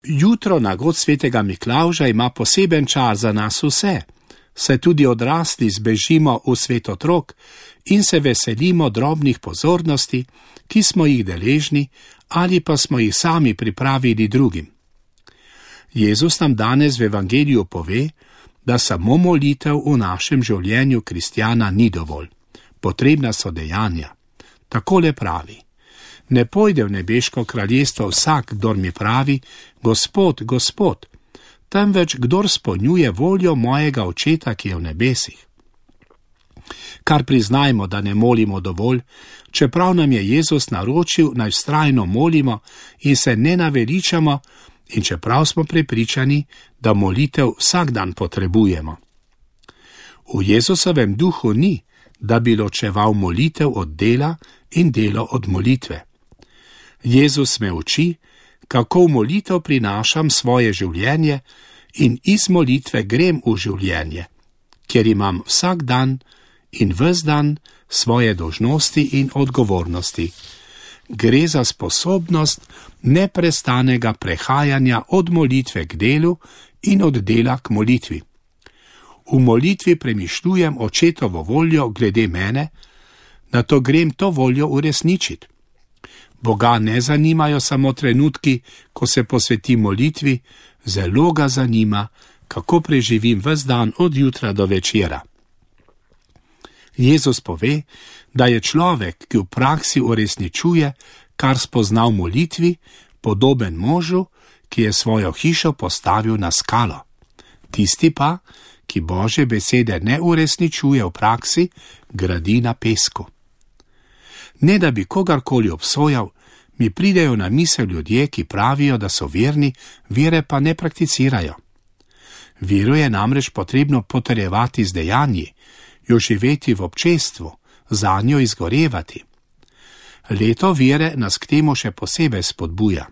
Jutro na god svetega Miklavža ima poseben čas za nas vse, saj tudi odrasli zbežimo v svet otrok in se veselimo drobnih pozornosti, ki smo jih deležni ali pa smo jih sami pripravili drugim. Jezus nam danes v evangeliju pove, da samo molitev v našem življenju kristjana ni dovolj. Potrebna so dejanja. Takole pravi: ne pojde v nebeško kraljestvo vsak, kdor mi pravi, Gospod, Gospod, temveč kdor spolnjuje voljo mojega Očeta, ki je v nebesih. Kar priznajmo, da ne molimo dovolj, čeprav nam je Jezus naročil, naj vztrajno molimo in se ne naveličamo, in čeprav smo prepričani, da molitev vsak dan potrebujemo. V Jezusovem duhu ni, da bi ločeval molitev od dela in delo od molitve. Jezus me uči, kako v molitev prinašam svoje življenje in iz molitve grem v življenje, kjer imam vsak dan in ves dan svoje dolžnosti in odgovornosti. Gre za sposobnost neprestanega prehajanja od molitve k delu in od dela k molitvi. V molitvi premišljujem Očetovo voljo glede mene, nato grem to voljo uresničiti. Boga ne zanimajo samo trenutki, ko se posvetim molitvi, zelo ga zanima, kako preživim ves dan od jutra do večera. Jezus pove, da je človek, ki v praksi uresničuje, kar spozna v molitvi, podoben možu, ki je svojo hišo postavil na skalo. Tisti pa, ki Božje besede ne uresničuje v praksi, gradi na pesku. Ne da bi kogarkoli obsojal, mi pridejo na misel ljudje, ki pravijo, da so verni, vere pa ne prakticirajo. Vero je namreč potrebno potrjevati z dejanji, jo živeti v občestvu, zanjo izgorevati. Leto vere nas k temu še posebej spodbuja.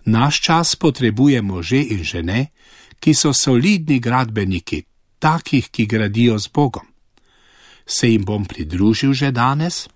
Naš čas potrebuje može in žene, ki so solidni gradbeniki, takih, ki gradijo z Bogom. Se jim bom pridružil že danes?